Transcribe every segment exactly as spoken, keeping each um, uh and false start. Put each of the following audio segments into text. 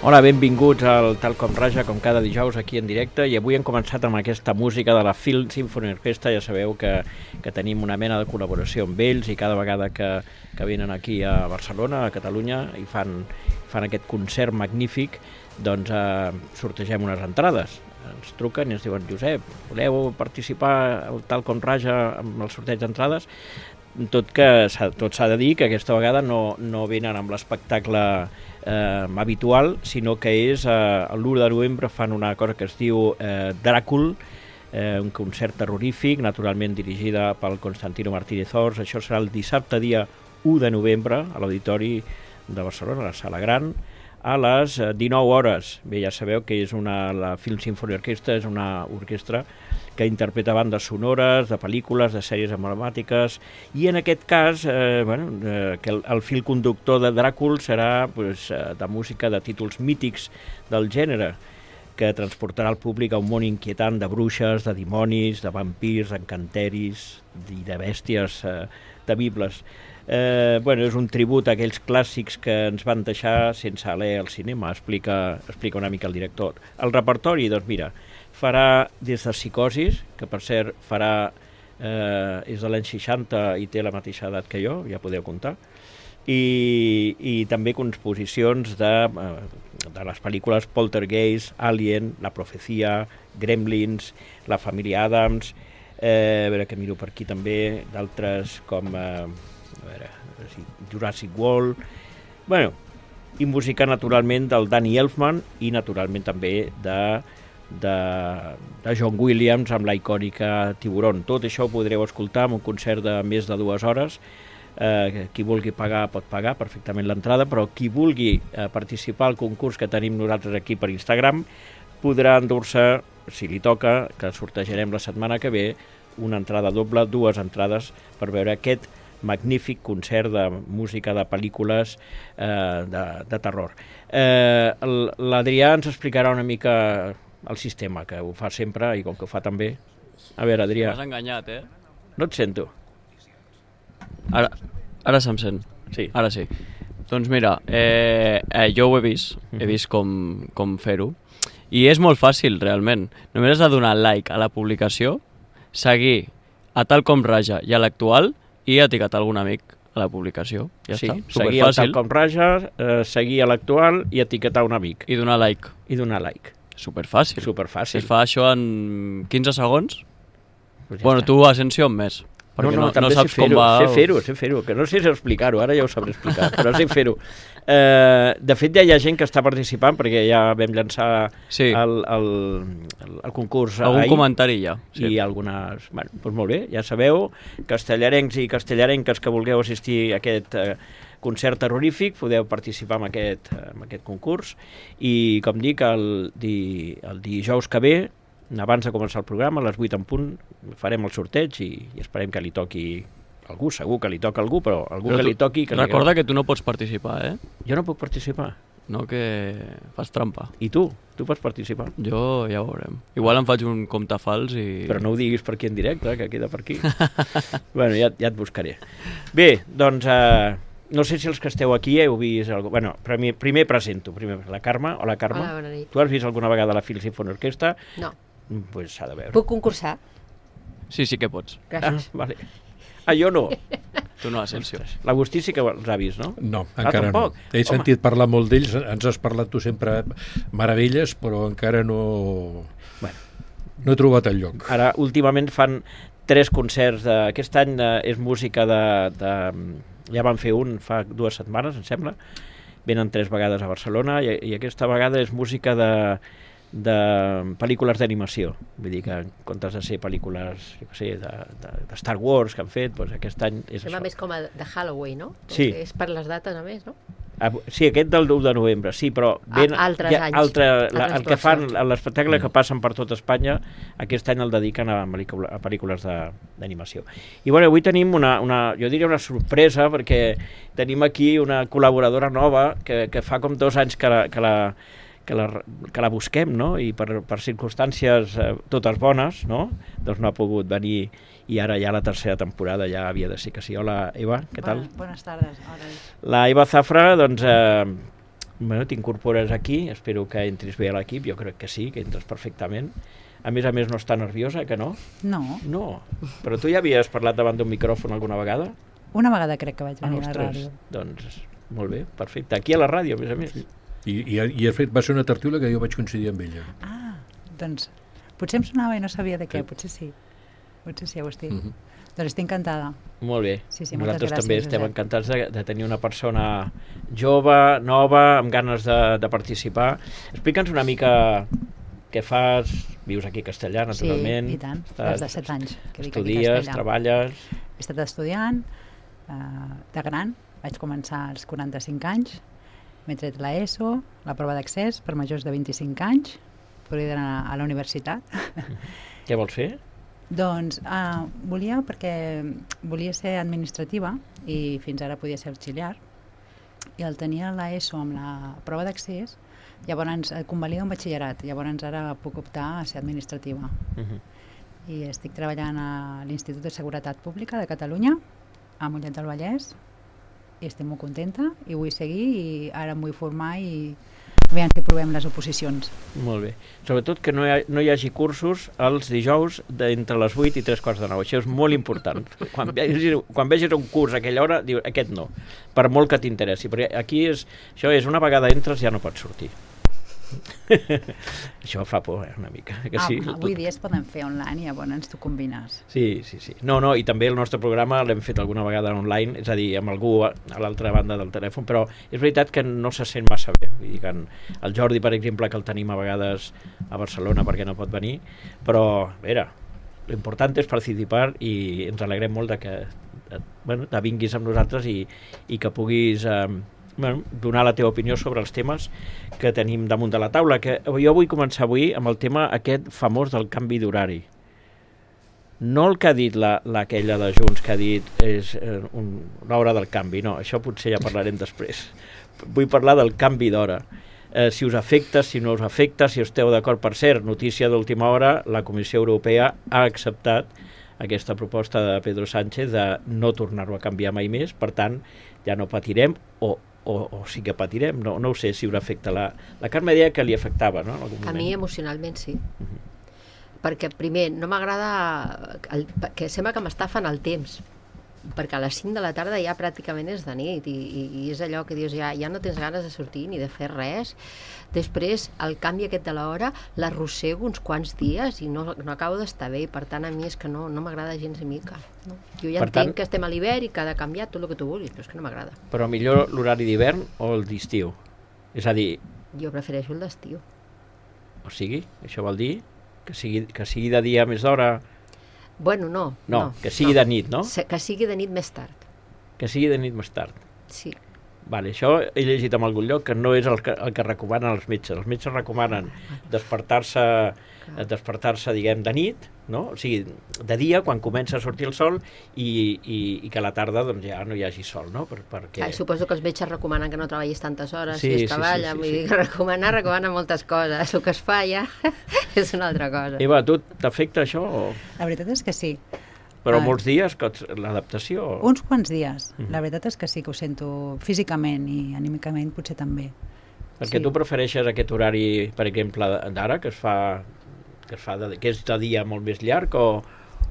Hola, benvinguts al Tal Com Raja, com cada dijous aquí en directe, i avui hem començat amb aquesta música de la Film Symphony Orchestra. Ja sabeu que, que tenim una mena de col·laboració amb ells i cada vegada que, que venen aquí a Barcelona, a Catalunya, i fan, fan aquest concert magnífic, doncs eh, sortegem unes entrades. Ens truquen i ens diuen: Josep, voleu participar al Tal Com Raja amb el sorteig d'entrades? Tot que tot s'ha de dir que aquesta vegada no, no venen amb l'espectacle eh, habitual, sinó que és eh, l'u de novembre fan una cosa que es diu eh, Dràcul, eh, un concert terrorífic, naturalment dirigida pel Constantino Martínez Ors. Això serà el dissabte dia u de novembre a l'Auditori de Barcelona, a la Sala Gran, a les dinou hores. Bé, ja sabeu que és una, la Film Symphony Orchestra és una orquestra que interpreta bandes sonores de pel·lícules, de sèries emblemàtiques, i en aquest cas eh, bueno, eh, que el, el fil conductor de Dràcul serà pues, de música de títols mítics del gènere, que transportarà el públic a un món inquietant de bruixes, de dimonis, de vampirs, d'encanteris i de bèsties eh, temibles. Eh, bueno, és un tribut a aquells clàssics que ens van deixar sense alè al cinema, explica, explica una mica el director. El repertori, doncs mira, farà des de Psicosis, que per cert farà, eh, és de l'any seixanta i té la mateixa edat que jo, ja podeu comptar, i, i també composicions de, de les pel·lícules Poltergeist, Alien, La Profecia, Gremlins, La família Addams, eh, a veure que miro per aquí també, d'altres com eh, a veure, Jurassic World, bueno, i música naturalment del Danny Elfman i naturalment també de De, de John Williams amb la icònica Tiburon. Tot això ho podreu escoltar en un concert de més de dues hores. Eh, qui vulgui pagar pot pagar perfectament l'entrada, però qui vulgui eh, participar al concurs que tenim nosaltres aquí per Instagram podrà endur-se, si li toca, que sortejarem la setmana que ve, una entrada doble, dues entrades per veure aquest magnífic concert de música de pel·lícules eh, de, de terror. Eh, L'Adrià ens explicarà una mica el sistema, que ho fa sempre i com que ho fa també. A veure, Adrià. M'has enganyat, eh? No et sento. Ara, ara se'm sent. Sí. Ara sí. Doncs mira, eh, eh, jo ho he vist, he vist com, com fer-ho, i és molt fàcil, realment. Només has de donar like a la publicació, seguir a Tal Com Raja i a l'actual i etiquetar algun amic a la publicació. Ja sí, està, seguir a Tal Com Raja, eh, seguir a l'actual i etiquetar un amic. I donar like. I donar like. Superfàcil. Superfàcil. Si fa això en quinze segons, pues ja bueno, està. tu, Asensio, en més. No, no, no, també no saps sé com fer-ho, va... sé fer-ho, sé fer-ho, que no sé si explicar-ho, ara ja ho sabré explicar, però sé fer-ho. Eh, de fet, ja hi ha gent que està participant, perquè ja vam llançar sí. el, el, el, el concurs Algun ahir. comentari ja. Sí. I algunes... Bueno, doncs molt bé, ja sabeu, castellarencs i castellarenques que vulgueu assistir a aquest eh, concert terrorífic, podeu participar en aquest, en aquest concurs, i com dic, el, di, el dijous que ve, abans de començar el programa, a les vuit en punt, farem el sorteig i, i esperem que li toqui algú, segur que li toca algú, però algú però que tu, li toqui... Que recorda li... que tu no pots participar, eh? Jo no puc participar. No, que fas trampa. I tu? Tu pots participar? Jo ja ho veurem. Igual em faig un compte fals i... Però no ho diguis per aquí en directe, que queda per aquí. Bueno, ja, ja et buscaré. Bé, doncs... Eh, no sé si els que esteu aquí heu vist... Algú... Bueno, primer, primer presento. Primer la Carme. Hola, Carme. Hola, bona nit. Tu has vist alguna vegada la Film Symphony Orchestra? No. Doncs pues s'ha de veure. Puc concursar? Sí, sí que pots. Gràcies. Ah, vale. Ah, jo no. Tu no, Asensio. L'Agustí sí que els ha vist, no? No, Ah, encara no. tampoc? He Home. sentit parlar molt d'ells, ens has parlat tu sempre meravelles, però encara no... Bueno. No he trobat el lloc. Ara, últimament fan tres concerts. De... Aquest any de... és música de, de... Ja van fer un fa dues setmanes, em sembla. Venen tres vegades a Barcelona i, i aquesta vegada és música de... de pel·lícules d'animació, vull dir que en comptes de ser pel·lícules, jo què sé, de, de, de Star Wars que han fet, doncs aquest any és Sembla això. més com a de Halloween, no? Sí. És per les dates, a més, no? Ah, sí, aquest del u de novembre, sí, però ben, A, altres ja, anys. altre, la, altres el que fan, classes. l'espectacle que passen per tot Espanya, aquest any el dediquen a, pel·lícula, a pel·lícules d'animació. I bueno, avui tenim una, una, jo diria una sorpresa, perquè tenim aquí una col·laboradora nova que, que fa com dos anys que la, que la, que la, que la busquem, no? I per, per circumstàncies eh, totes bones, no? Doncs no ha pogut venir, i ara ja la tercera temporada ja havia de ser que sí. Hola, Eva, què tal? Buenas, buenas tardes. Hola. La Eva Zafra, doncs, eh, bueno, t'incorpores aquí, espero que entris bé a l'equip, jo crec que sí, que entres perfectament. A més a més, no està nerviosa, que no? No. No. Però tu ja havies parlat davant d'un micròfon alguna vegada? Una vegada crec que vaig venir ah, a la ràdio. Doncs, molt bé, perfecte. Aquí a la ràdio, a més a més. I, i, i de fet va ser una tertúlia que jo vaig coincidir amb ella. Ah, doncs potser em sonava i no sabia de què, potser sí. Potser sí, Agustí. Uh -huh. Doncs estic encantada. Molt bé. Sí, sí, Nosaltres gràcies, també estem Josep. encantats de, de tenir una persona jove, nova, amb ganes de, de participar. Explica'ns una mica què fas, vius aquí a Castellà, naturalment. Sí, i tant, Estàs, des de set anys que vic aquí a estudies, Castellà. treballes... He estat estudiant, eh, de gran, vaig començar als quaranta-cinc anys, m'he tret la ESO, la prova d'accés per majors de vint-i-cinc anys, podria anar a la universitat. Què vols fer? Doncs eh, volia, perquè volia ser administrativa i fins ara podia ser auxiliar, i al tenir l'ESO amb la prova d'accés, llavors eh, convalida un batxillerat, llavors ara puc optar a ser administrativa. Uh -huh. I estic treballant a l'Institut de Seguretat Pública de Catalunya, a Mollet del Vallès, i estic molt contenta i vull seguir i ara em vull formar i aviam si provem les oposicions. Molt bé. Sobretot que no hi, ha, no hi hagi cursos els dijous d'entre les vuit i tres quarts de nou. Això és molt important. Quan vegis, quan vegis un curs a aquella hora, diu, aquest no, per molt que t'interessi. Perquè aquí és, això és, una vegada entres ja no pots sortir. Això fa por, eh, una mica. Que ah, sí, avui dia es poden fer online i llavors tu combines. Sí, sí, sí. No, no, i també el nostre programa l'hem fet alguna vegada online, és a dir, amb algú a, a l'altra banda del telèfon, però és veritat que no se sent massa bé. Vull dir que en, el Jordi, per exemple, que el tenim a vegades a Barcelona perquè no pot venir, però, a veure, l'important és participar i ens alegrem molt de que bueno, te vinguis amb nosaltres i, i que puguis... Eh, Bueno, donar la teva opinió sobre els temes que tenim damunt de la taula, que jo vull començar avui amb el tema aquest famós del canvi d'horari. No el que ha dit la, l'aquella de Junts, que ha dit és eh, un, l'hora del canvi, no, això potser ja parlarem després. Vull parlar del canvi d'hora. Eh, si us afecta, si no us afecta, si esteu d'acord. Per cert, notícia d'última hora, la Comissió Europea ha acceptat aquesta proposta de Pedro Sánchez de no tornar-ho a canviar mai més, per tant, ja no patirem, o O, o sí que patirem, no, no ho sé si us afecta. La, la Carme deia que li afectava, no? En algun moment. A mi emocionalment sí. Uh-huh. Perquè primer, no m'agrada el, que sembla que m'estafen el temps, perquè a les cinc de la tarda ja pràcticament és de nit i, i, i és allò que dius, ja, ja no tens ganes de sortir ni de fer res. Després el canvi aquest de l'hora l'arrossego uns quants dies i no, no acabo d'estar bé, i per tant a mi és que no, no m'agrada gens ni mica, no? Jo ja per entenc tant, que estem a l'hivern i que ha de canviar tot el que tu vulguis, però és que no m'agrada. Però millor l'horari d'hivern o el d'estiu? És a dir... Jo prefereixo el d'estiu. O sigui, això vol dir que sigui, que sigui de dia més d'hora... Bueno, no. No, no que sigui no. de nit, no? Que sigui de nit més tard. Que sigui de nit més tard. Sí. Vale, això he llegit en algun lloc que no és el que, el que recomanen els metges. Els metges recomanen despertar-se, despertar-se, diguem, de nit, no? O sigui, de dia, quan comença a sortir el sol, i, i, i que a la tarda doncs, ja no hi hagi sol, no? Per, perquè... Ah, suposo que els metges recomanen que no treballis tantes hores sí, si sí, es treballa, sí, sí, vull sí. dir que recomanar, recomanen moltes coses. El que es fa ja és una altra cosa. Eva, tu t'afecta això? O... La veritat és que sí. Però Ah. molts dies, que l'adaptació... O... Uns quants dies. Mhm. La veritat és que sí que ho sento físicament i anímicament potser també. Perquè sí. tu prefereixes aquest horari, per exemple, d'ara, que es fa, que es fa de, que és de dia molt més llarg, o,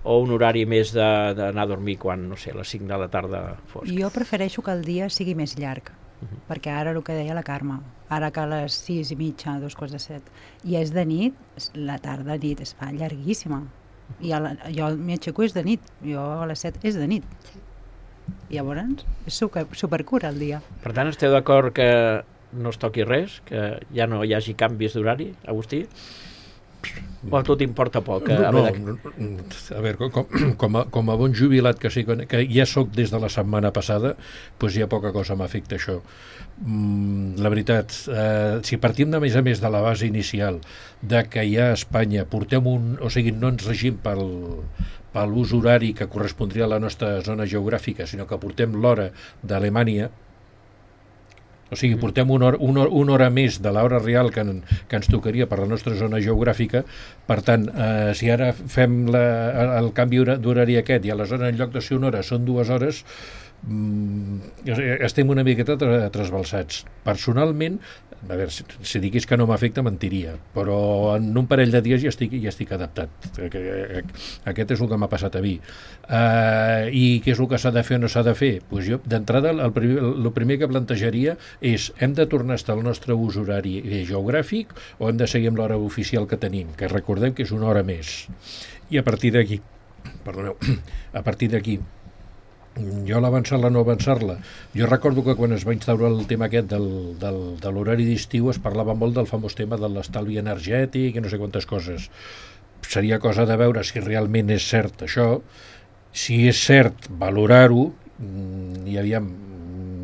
o un horari més d'anar a dormir quan, no sé, a les cinc de la tarda fosc? Jo prefereixo que el dia sigui més llarg, Mhm. perquè ara el que deia la Carme, ara que a les sis i mitja, dos quarts de set, i és de nit, la tarda nit es fa llarguíssima. I a la, jo m'aixeco és de nit, jo a les set és de nit. Sí. I llavors és super, supercura el dia. Per tant, esteu d'acord que no es toqui res, que ja no hi hagi canvis d'horari, Agustí? O a tu t'importa poc? A No, veure... no, no, a veure, com, com, a, com a bon jubilat que, sí, que ja sóc des de la setmana passada, doncs ja poca cosa m'afecta això. Mm, la veritat, eh, si partim de més a més de la base inicial de que ja a Espanya portem un... O sigui, no ens regim pel, per l'ús horari que correspondria a la nostra zona geogràfica, sinó que portem l'hora d'Alemanya. O sigui, portem una hora, una, una hora més de l'hora real que, en, que ens tocaria per la nostra zona geogràfica. Per tant, eh, si ara fem la, el canvi d'horari aquest i aleshores en lloc de ser una hora són dues hores, mm, estem una miqueta trasbalsats. Personalment, a veure, si, si diguis que no m'afecta, mentiria, però en un parell de dies ja estic, ja estic adaptat. Aquest és el que m'ha passat a mi. Uh, I què és el que s'ha de fer o no s'ha de fer? Pues jo, d'entrada, el, primer, el primer que plantejaria és, hem de tornar a estar al nostre ús horari geogràfic o hem de seguir amb l'hora oficial que tenim, que recordem que és una hora més. I a partir d'aquí, perdoneu, a partir d'aquí, jo l'avançar-la, no avançar-la. Jo recordo que quan es va instaurar el tema aquest del, del, de l'horari d'estiu es parlava molt del famós tema de l'estalvi energètic i no sé quantes coses. Seria cosa de veure si realment és cert això. Si és cert, valorar-ho, i aviam,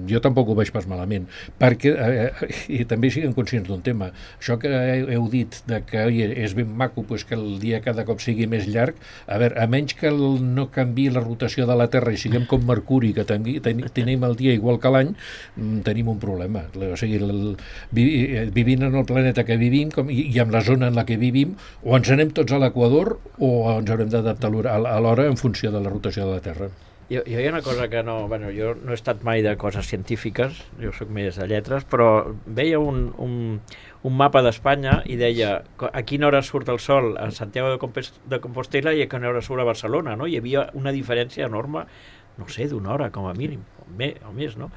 jo tampoc ho veig pas malament, perquè, eh, i també siguem conscients d'un tema, això que heu dit de que oi, és ben maco pues, que el dia cada cop sigui més llarg, a veure, a menys que el, no canvi la rotació de la Terra i siguem com Mercuri, que ten, ten, tenim el dia igual que l'any, tenim un problema. O sigui, el, vivint en el planeta que vivim com, i, i en la zona en la que vivim, o ens anem tots a l'equador o ens haurem d'adaptar a l'hora en funció de la rotació de la Terra. Jo, jo hi ha una cosa que no... Bueno, jo no he estat mai de coses científiques, jo sóc més de lletres, però veia un, un, un mapa d'Espanya i deia a quina hora surt el sol a Santiago de, Compos de Compostela i a quina hora surt a Barcelona, no? Hi havia una diferència enorme, no sé, d'una hora com a mínim, o, me, o més, no?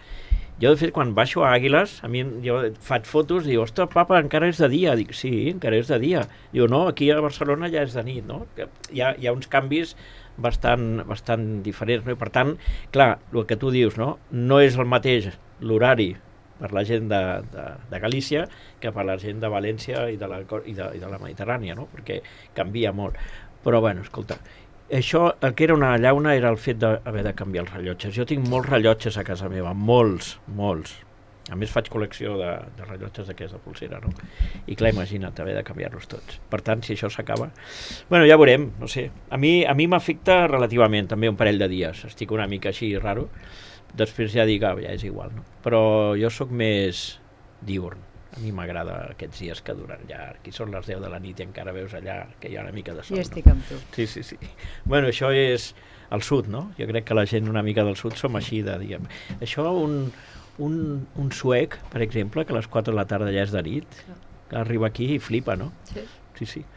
Jo, de fet, quan baixo a Àguiles, a mi jo faig fotos i dic, ostres, papa, encara és de dia. Dic, sí, encara és de dia. Diu, no, aquí a Barcelona ja és de nit, no? Hi ha, hi ha uns canvis bastant, bastant diferents, no? I per tant, clar, el que tu dius, no? No és el mateix l'horari per la gent de, de, de Galícia que per la gent de València i de la, i de, i de la Mediterrània, no? Perquè canvia molt. Però, bueno, escolta, això, el que era una llauna era el fet d'haver de canviar els rellotges. Jo tinc molts rellotges a casa meva, molts, molts. A més faig col·lecció de, de rellotges d'aquesta pulsera, no? I clar, imagina't, haver de canviar-los tots. Per tant, si això s'acaba... Bueno, ja veurem, no sé. A mi a mi m'afecta relativament, també un parell de dies. Estic una mica així raro. Després ja dic, ah, ja és igual, no? Però jo sóc més diurn. A mi m'agrada aquests dies que duren llarg, i són les deu de la nit i encara veus allà que hi ha una mica de sol. Jo estic amb tu. Sí, sí, sí. Bueno, això és el sud, no? Jo crec que la gent una mica del sud som així de, diguem... Això, un, un, un suec, per exemple, que a les quatre de la tarda ja és de nit, que arriba aquí i flipa, no? Sí. Sí, sí.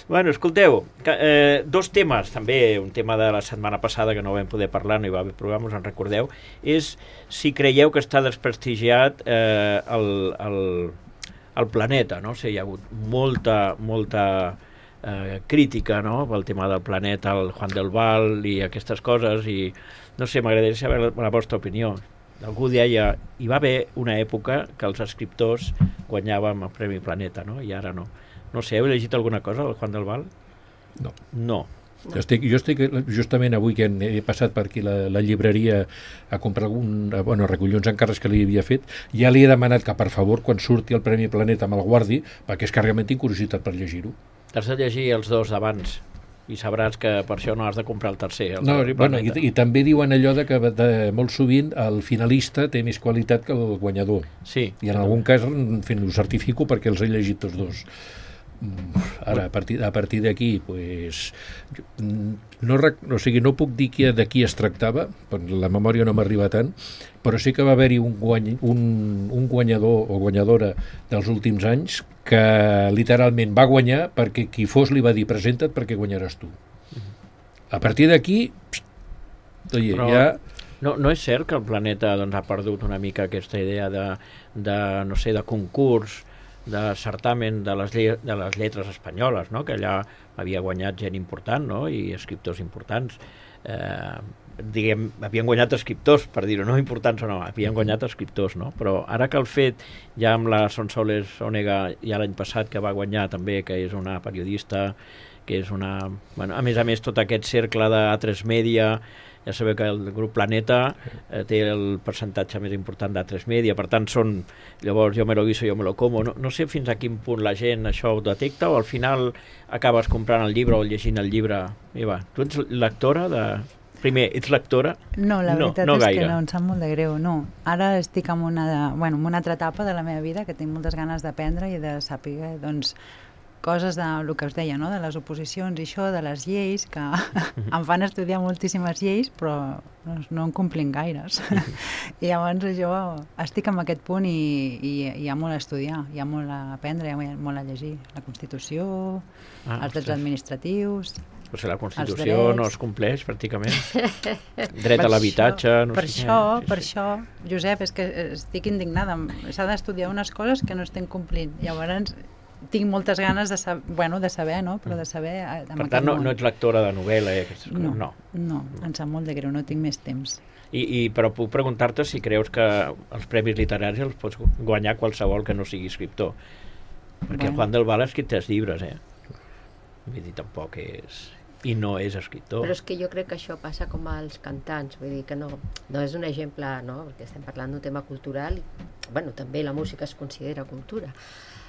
Bueno, escolteu, que, eh, dos temes, també un tema de la setmana passada que no vam poder parlar, no hi va haver programa, us en recordeu, és si creieu que està desprestigiat eh, el, el, el planeta, no? O sigui, hi ha hagut molta, molta eh, crítica, no?, pel tema del planeta, el Juan del Val i aquestes coses, i no sé, m'agradaria saber la, la vostra opinió. Algú deia, hi va haver una època que els escriptors guanyàvem el Premi Planeta, no?, i ara no. No sé, heu llegit alguna cosa del Juan del Val? No. No. No. Jo, estic, jo estic justament avui que he passat per aquí la, la llibreria a comprar algun, a, bueno, a recollir uns encàrrecs que li havia fet, ja li he demanat que per favor quan surti el Premi Planeta me'l guardi, perquè és que realment tinc curiositat per llegir-ho. T'has de llegir els dos d'abans i sabràs que per això no has de comprar el tercer. El no, bueno, i, i també diuen allò de que de, molt sovint el finalista té més qualitat que el guanyador. Sí. I en algun cas, en fi, ho certifico perquè els he llegit tots dos. Ara, a partir, a partir d'aquí, pues, no, o sigui, no puc dir que de qui es tractava, la memòria no m'arriba tant, però sí que va haver-hi un, guany, un, un guanyador o guanyadora dels últims anys que literalment va guanyar perquè qui fos li va dir presenta't perquè guanyaràs tu. A partir d'aquí, oye, però... ja... No, no és cert que el planeta doncs, ha perdut una mica aquesta idea de, de no sé, de concurs, de certamen de les, de les lletres espanyoles, no? Que allà havia guanyat gent important, no? I escriptors importants. Eh, diguem, havien guanyat escriptors, per dir-ho, no importants o no, havien guanyat escriptors, no? Però ara que el fet, ja amb la Sonsoles Onega, ja l'any passat que va guanyar també, que és una periodista, que és una... Bueno, a més a més, tot aquest cercle d'A tres Media, ja sabeu que el grup Planeta eh, té el percentatge més important d'A tres Media, per tant són, llavors jo me lo guiso, jo me lo como, no, no sé fins a quin punt la gent això ho detecta o al final acabes comprant el llibre o llegint el llibre. I va, tu ets lectora de... Primer, ets lectora? No, la veritat no, no és gaire. que no, em sap molt de greu, no. Ara estic en una, bueno, en una altra etapa de la meva vida que tinc moltes ganes d'aprendre i de saber, doncs, coses de el que us deia, no? De les oposicions i això, de les lleis, que em fan estudiar moltíssimes lleis, però no, no en complim gaires. I llavors jo estic en aquest punt i, i hi ha molt a estudiar, hi ha molt a aprendre, hi ha molt a llegir. La Constitució, ah, els drets administratius... O sigui, la Constitució no es compleix, pràcticament. Dret per a l'habitatge... No per sé això, què. per això, Josep, és que estic indignada. S'ha d'estudiar unes coses que no estem complint. Llavors, tinc moltes ganes de saber, bueno, de saber, no? Però de saber... Per tant, no, no ets lectora de novel·la i aquestes coses? No, no, no, em sap molt de greu, no tinc més temps. I, i, però puc preguntar-te si creus que els premis literaris els pots guanyar qualsevol que no sigui escriptor. Perquè bueno. Juan del Val ha escrit tres llibres, eh? Vull dir, tampoc és... I no és escriptor. Però és que jo crec que això passa com als cantants, vull dir que no, no és un exemple, no? Perquè estem parlant d'un tema cultural i, bueno, també la música es considera cultura.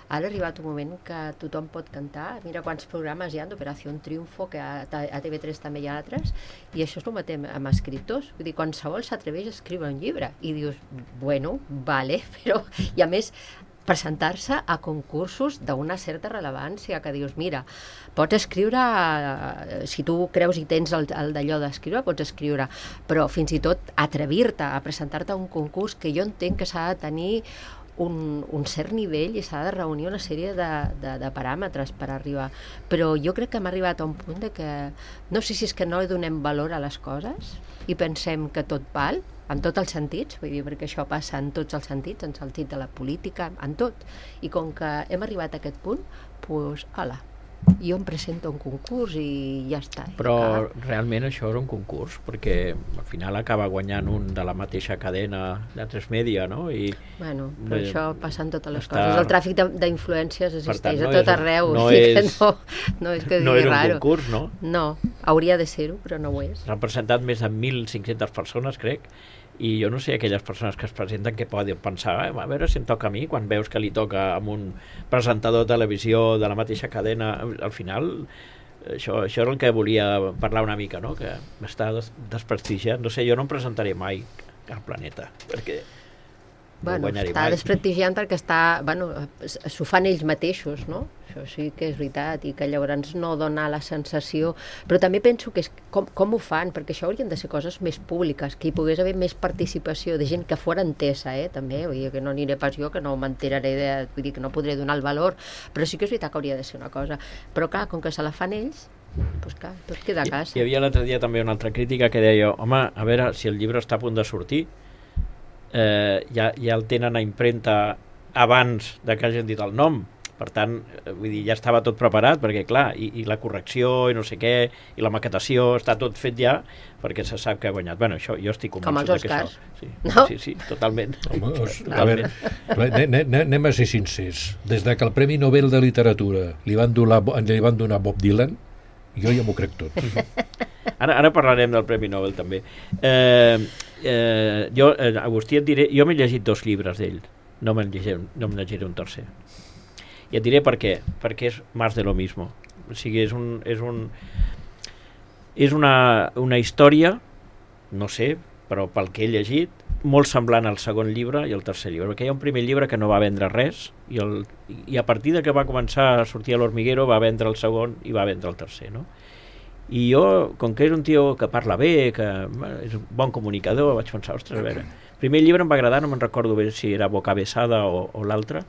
Ara ha arribat un moment que tothom pot cantar, mira quants programes hi ha d'Operació Triunfo, que a, a T V tres també hi ha altres, i això és el mateix amb escriptors, vull dir, qualsevol s'atreveix a escriure un llibre, i dius, bueno, vale, però, i a més, presentar-se a concursos d'una certa rellevància, que dius, mira, pots escriure, si tu creus i tens el, el d'allò d'escriure, pots escriure, però fins i tot atrevir-te a presentar-te a un concurs que jo entenc que s'ha de tenir un, un cert nivell i s'ha de reunir una sèrie de, de, de paràmetres per arribar. Però jo crec que hem arribat a un punt de que, no sé si és que no donem valor a les coses i pensem que tot val, en tots els sentits, vull dir, perquè això passa en tots els sentits, en el sentit de la política, en tot. I com que hem arribat a aquest punt, doncs, ala, jo em presento a un concurs i ja està. Però realment això és un concurs, perquè al final acaba guanyant un de la mateixa cadena de tres Media, no? I, bueno, però eh, això passa en totes les està... coses. El tràfic d'influències existeix tant, no a tot és, arreu. No, és, és, no, no és que no és un raro. concurs, no? No, hauria de ser-ho, però no ho és. S'han presentat més de mil cinc-centes persones, crec, i jo no sé aquelles persones que es presenten que poden pensar, eh, a veure si em toca a mi, quan veus que li toca amb un presentador de televisió de la mateixa cadena. Al final això, això és el que volia parlar una mica, no? Que m'està des desprestigiant, no sé, jo no em presentaré mai al Planeta, perquè bueno, no està mai. Desprestigiant perquè està, bueno, s'ho fan ells mateixos, no? Això sí que és veritat, i que llavors no dona la sensació, però també penso que és com, com ho fan, perquè això haurien de ser coses més públiques, que hi pogués haver més participació de gent que fora entesa, eh, també, vull dir que no aniré pas jo, que no m'enteraré, de, vull dir que no podré donar el valor, però sí que és veritat que hauria de ser una cosa, però clar, com que se la fan ells, doncs clar, tot queda a casa. Hi havia l'altre dia també una altra crítica que deia, home, a veure, si el llibre està a punt de sortir, eh, ja, ja el tenen a impremta abans de que hagin dit el nom. Per tant, vull dir, ja estava tot preparat, perquè clar, i, i la correcció i no sé què, i la maquetació, està tot fet ja, perquè se sap que ha guanyat. Bueno, això, jo estic convençut que això... Sí, no? sí, sí, totalment. Home, os, a veure, anem a ser sincers. Des de que el Premi Nobel de Literatura li van donar, li van donar Bob Dylan, jo ja m'ho crec tot. Ara, ara parlarem del Premi Nobel, també. Eh, eh, jo, eh, Agustí, et diré, jo m'he llegit dos llibres d'ell, no me'n llegiré, no me'n llegiré un tercer. I et diré per què, perquè és més de lo mismo. O sigui, és un és un és una, una història, no sé, però pel que he llegit, molt semblant al segon llibre i al tercer llibre, perquè hi ha un primer llibre que no va vendre res i, el, i a partir de que va començar a sortir a l'Hormiguero va vendre el segon i va vendre el tercer, no? I jo, com que és un tio que parla bé, que és un bon comunicador, vaig pensar, ostres, a veure, el primer llibre em va agradar, no me'n recordo bé si era Boca Besada o, o l'altre,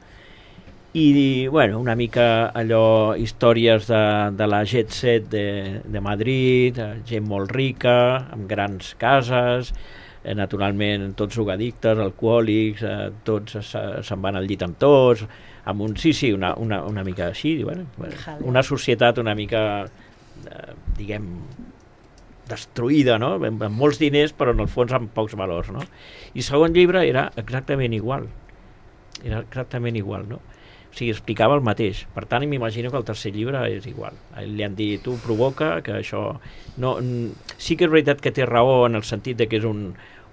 i bueno, una mica allò, històries de, de la jet set de, de Madrid, gent molt rica, amb grans cases, eh, naturalment tots drogadictes, alcohòlics, eh, tots se'n van al llit amb tots, amb un, sí, sí, una, una, una mica així, bueno, una societat una mica, eh, diguem, destruïda, no? Amb, amb molts diners, però en el fons amb pocs valors, no? I el segon llibre era exactament igual, era exactament igual, no? O sigui, explicava el mateix. Per tant, m'imagino que el tercer llibre és igual. Li han dit, tu provoca, que això... No, sí que és veritat que té raó en el sentit de que és un,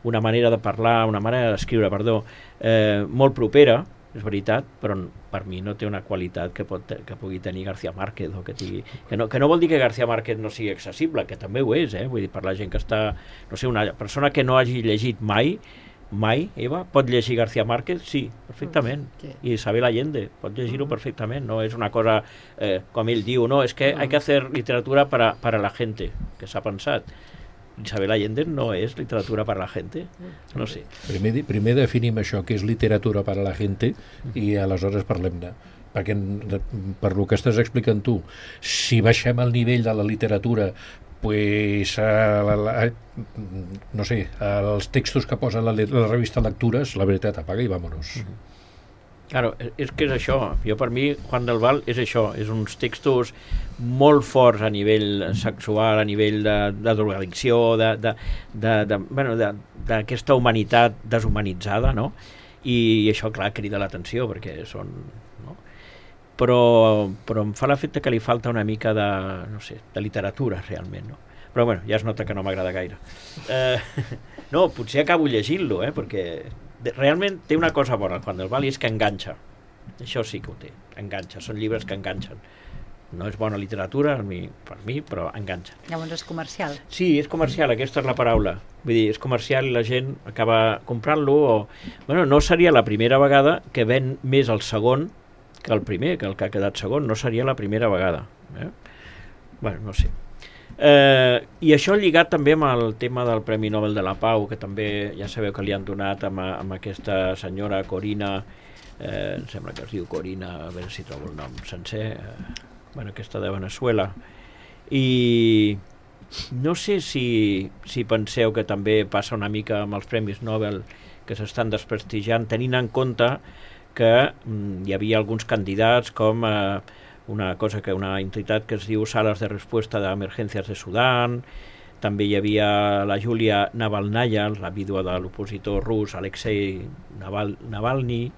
una manera de parlar, una manera d'escriure, perdó, eh, molt propera, és veritat, però per mi no té una qualitat que, pot, que pugui tenir García Márquez, o que, tingui, que, no, que no vol dir que García Márquez no sigui accessible, que també ho és, eh? Vull dir, per la gent que està... No sé, una persona que no hagi llegit mai mai, Eva? Pot llegir García Márquez? Sí, perfectament. Sí. I Isabel Allende, pot llegir-ho perfectament. No és una cosa, eh, com ell diu, no, és que hay que hacer literatura para, para la gente, que s'ha pensat. Isabel Allende no és literatura per a la gente, no sé. Primer, primer definim això, que és literatura per a la gente, i aleshores parlem-ne. Perquè, per lo que estàs explicant tu, si baixem el nivell de la literatura, pues, a la, la, no sé, els textos que posa la, la revista Lectures, la veritat, apaga i vámonos. Claro, és que és això. Jo, per mi, Juan del Val és això, és uns textos molt forts a nivell sexual, a nivell de, de drogadicció, de, de, de, de, bueno, de, d'aquesta humanitat deshumanitzada, no? I això, clar, crida l'atenció, perquè són... No? Però, però em fa l'efecte que li falta una mica de, no sé, de literatura, realment, no? Però, bueno, ja es nota que no m'agrada gaire. Eh, no, potser acabo llegint-lo, eh, perquè realment té una cosa bona, Juan del Val, i és que enganxa. Això sí que ho té, enganxa. Són llibres que enganxen. No és bona literatura per mi, per mi, però enganxa. Llavors és comercial. Sí, és comercial, aquesta és la paraula. Vull dir, és comercial i la gent acaba comprant-lo o... Bueno, no seria la primera vegada que ven més el segon que el primer, que el que ha quedat segon. No seria la primera vegada. Eh? Bueno, no sé. Eh, i això lligat també amb el tema del Premi Nobel de la Pau, que també ja sabeu que li han donat amb, amb aquesta senyora Corina, eh, em sembla que es diu Corina, a veure si trobo el nom sencer, eh, bueno, aquesta de Venezuela, i no sé si, si penseu que també passa una mica amb els Premis Nobel que s'estan desprestigiant, tenint en compte que mm, hi havia alguns candidats com eh, una cosa que una entitat que es diu Salas de Respuesta de Emergències de Sudan, també hi havia la Júlia Navalnaya, la vídua de l'opositor rus Alexei Naval, Navalny,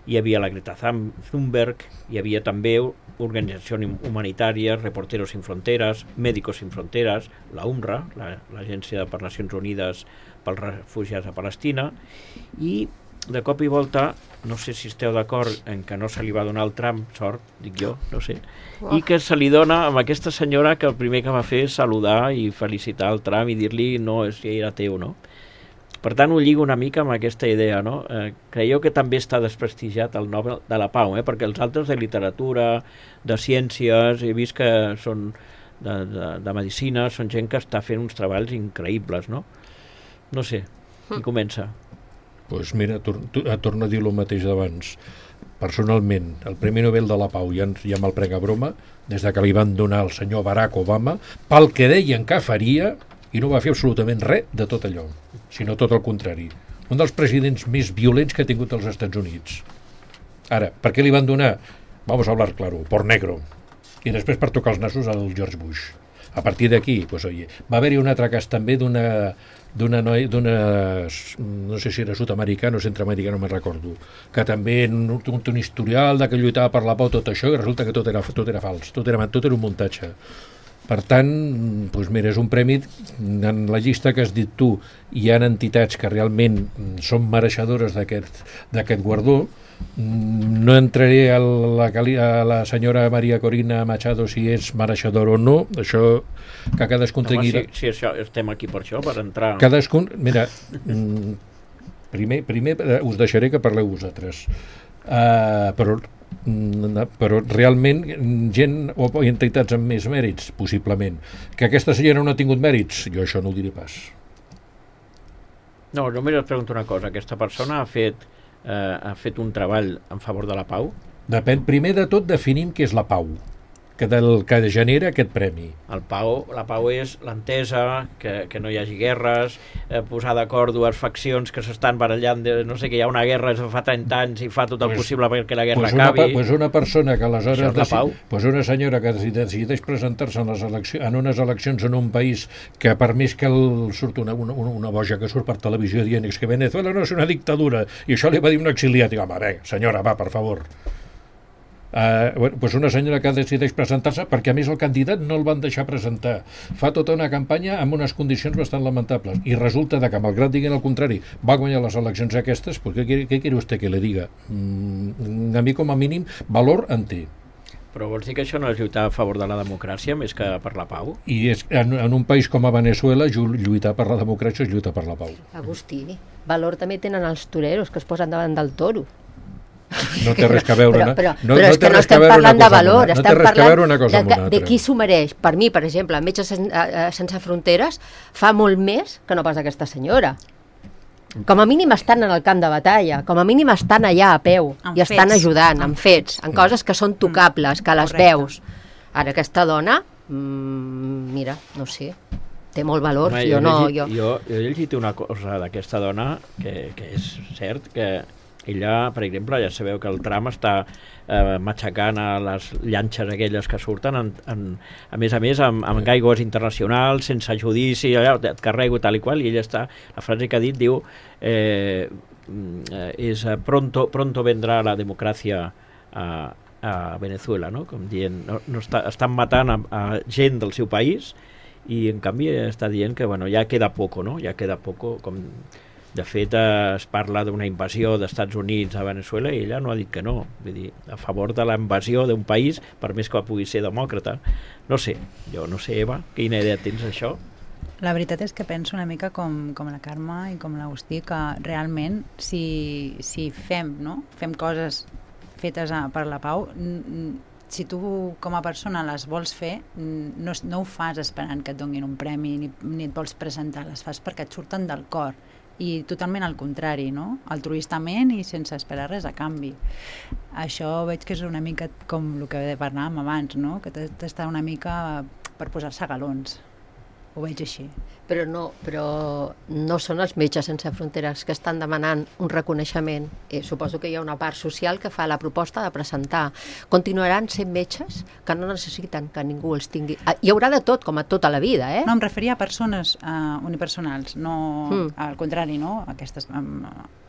hi havia la Greta Thunberg, hi havia també organitzacions humanitàries, Reporteros Sin Fronteras, Médicos Sin Fronteras, la UNRWA, l'Agència per Nacions Unides pels Refugiats a Palestina, i de cop i volta, no sé si esteu d'acord en que no se li va donar el tram, sort, dic jo, no sé, oh. I que se li dona amb aquesta senyora que el primer que va fer és saludar i felicitar el tram i dir-li no, si era teu, no? Per tant, ho lligo una mica amb aquesta idea, no? Eh, creieu que també està desprestigiat el Nobel de la Pau, eh? Perquè els altres de literatura, de ciències, he vist que són de, de, de medicina, són gent que està fent uns treballs increïbles, no? No sé, qui comença? Doncs pues mira, tor torno a dir el mateix d'abans. Personalment, el Premi Nobel de la Pau, ja, ja me'l prenc a broma, des de que li van donar al senyor Barack Obama, pel que deien que faria, i no va fer absolutament res de tot allò, sinó tot el contrari. Un dels presidents més violents que ha tingut els Estats Units. Ara, per què li van donar? Vamos a hablar claro, por negro. I després per tocar els nassos al George Bush. A partir d'aquí, pues, oye, va haver-hi un altre cas també d'una d'una noia, d'una, no sé si era sud-americana o centroamericana, no me'n recordo, que també no, té un historial de que lluitava per la pau, tot això, i resulta que tot era, tot era fals, tot era, tot era un muntatge. Per tant, doncs mira, és un premi, en la llista que has dit tu, hi ha entitats que realment són mereixedores d'aquest d'aquest guardó. No entraré a la, a la senyora Maria Corina Machado si és mereixedor o no, això que cadascun Home, tingui... Si, si això, estem aquí per això, per entrar... Cadascun, mira, primer, primer us deixaré que parleu vosaltres, uh, però, però realment gent o entitats amb més mèrits, possiblement. Que aquesta senyora no ha tingut mèrits, jo això no ho diré pas. No, només et pregunto una cosa, aquesta persona ha fet... Eh, ha fet un treball en favor de la pau? Depèn, primer de tot definim què és la pau, que, del, que genera aquest premi. El pau, la pau és l'entesa, que, que no hi hagi guerres, eh, posar d'acord dues faccions que s'estan barallant, de, no sé, que hi ha una guerra fa trenta anys i fa tot el pues, possible perquè la guerra pues acabi. Una, pues una persona que aleshores... Això és la pau? Pues una senyora que decideix presentar-se en, les eleccions, en unes eleccions en un país que per més que el, surt una, una, una boja que surt per televisió dient que Venezuela no és una dictadura, i això li va dir un exiliat, i home, bé, senyora, va, per favor. Uh, bueno, pues una senyora que decideix presentar-se perquè a més el candidat no el van deixar presentar, fa tota una campanya amb unes condicions bastant lamentables i resulta de que malgrat diguin el contrari va guanyar les eleccions aquestes, pues, què, què quiere usted que le diga? Mm, a mi com a mínim valor en té. Però vols dir que això no és lluitar a favor de la democràcia més que per la pau? I és, en, en un país com a Venezuela, lluitar per la democràcia és lluitar per la pau. Agustí, valor també tenen els toreros que es posen davant del toro. No té res a veure però, una, però, no, però no és que no res estem a veure parlant una de cosa valor, amb una, no estem té res a veure una cosa parlant amb una de, de altra. qui s'ho mereix. Per mi, per exemple, Metges Sen- eh, eh, Sense Fronteres fa molt més que no pas aquesta senyora. Com a mínim estan en el camp de batalla, com a mínim estan allà a peu Amb i estan fets. ajudant, Amb amb fets, en coses que són tocables, que les Correcte. veus. Ara aquesta dona, mmm, mira, no sé, té molt valor. Home, jo, he no, llegit, jo... jo, jo he llegit una cosa d'aquesta dona que, que és cert que ella, per exemple, ja sabeu que el tram està eh, matxacant a les llanxes aquelles que surten, en, en, a més a més, amb, amb aigües internacionals, sense judici, allà, et carrego tal i qual, i ella està, la frase que ha dit diu eh, és pronto, pronto vendrà la democràcia a, a Venezuela, no? Com dient, no, no està, estan matant a, a gent del seu país i en canvi està dient que bueno, ja queda poco, no? Ja queda poco, com de fet eh, es parla d'una invasió d'Estats Units a Venezuela i ella no ha dit que no, vull dir, a favor de la invasió d'un país, per més que pugui ser demòcrata. No sé, jo no sé, Eva, quina idea tens d'això? La veritat és que penso una mica com, com la Carme i com l'Agustí, que realment si, si fem, no? fem coses fetes a, per la pau, si tu com a persona les vols fer, no, no ho fas esperant que et donin un premi ni, ni et vols presentar, les fas perquè et surten del cor i totalment al contrari, no? Altruistament i sense esperar res a canvi. Això veig que és una mica com el que parlàvem abans, no? Que tot està una mica per posar-se galons. Ho veig així. Però no, però no són els Metges Sense Fronteres que estan demanant un reconeixement. Eh, suposo que hi ha una part social que fa la proposta de presentar. Continuaran sent metges que no necessiten que ningú els tingui... Ah, hi haurà de tot, com a tota la vida, eh? No, em referia a persones uh, unipersonals, no, Mm. al contrari, no? Aquestes um,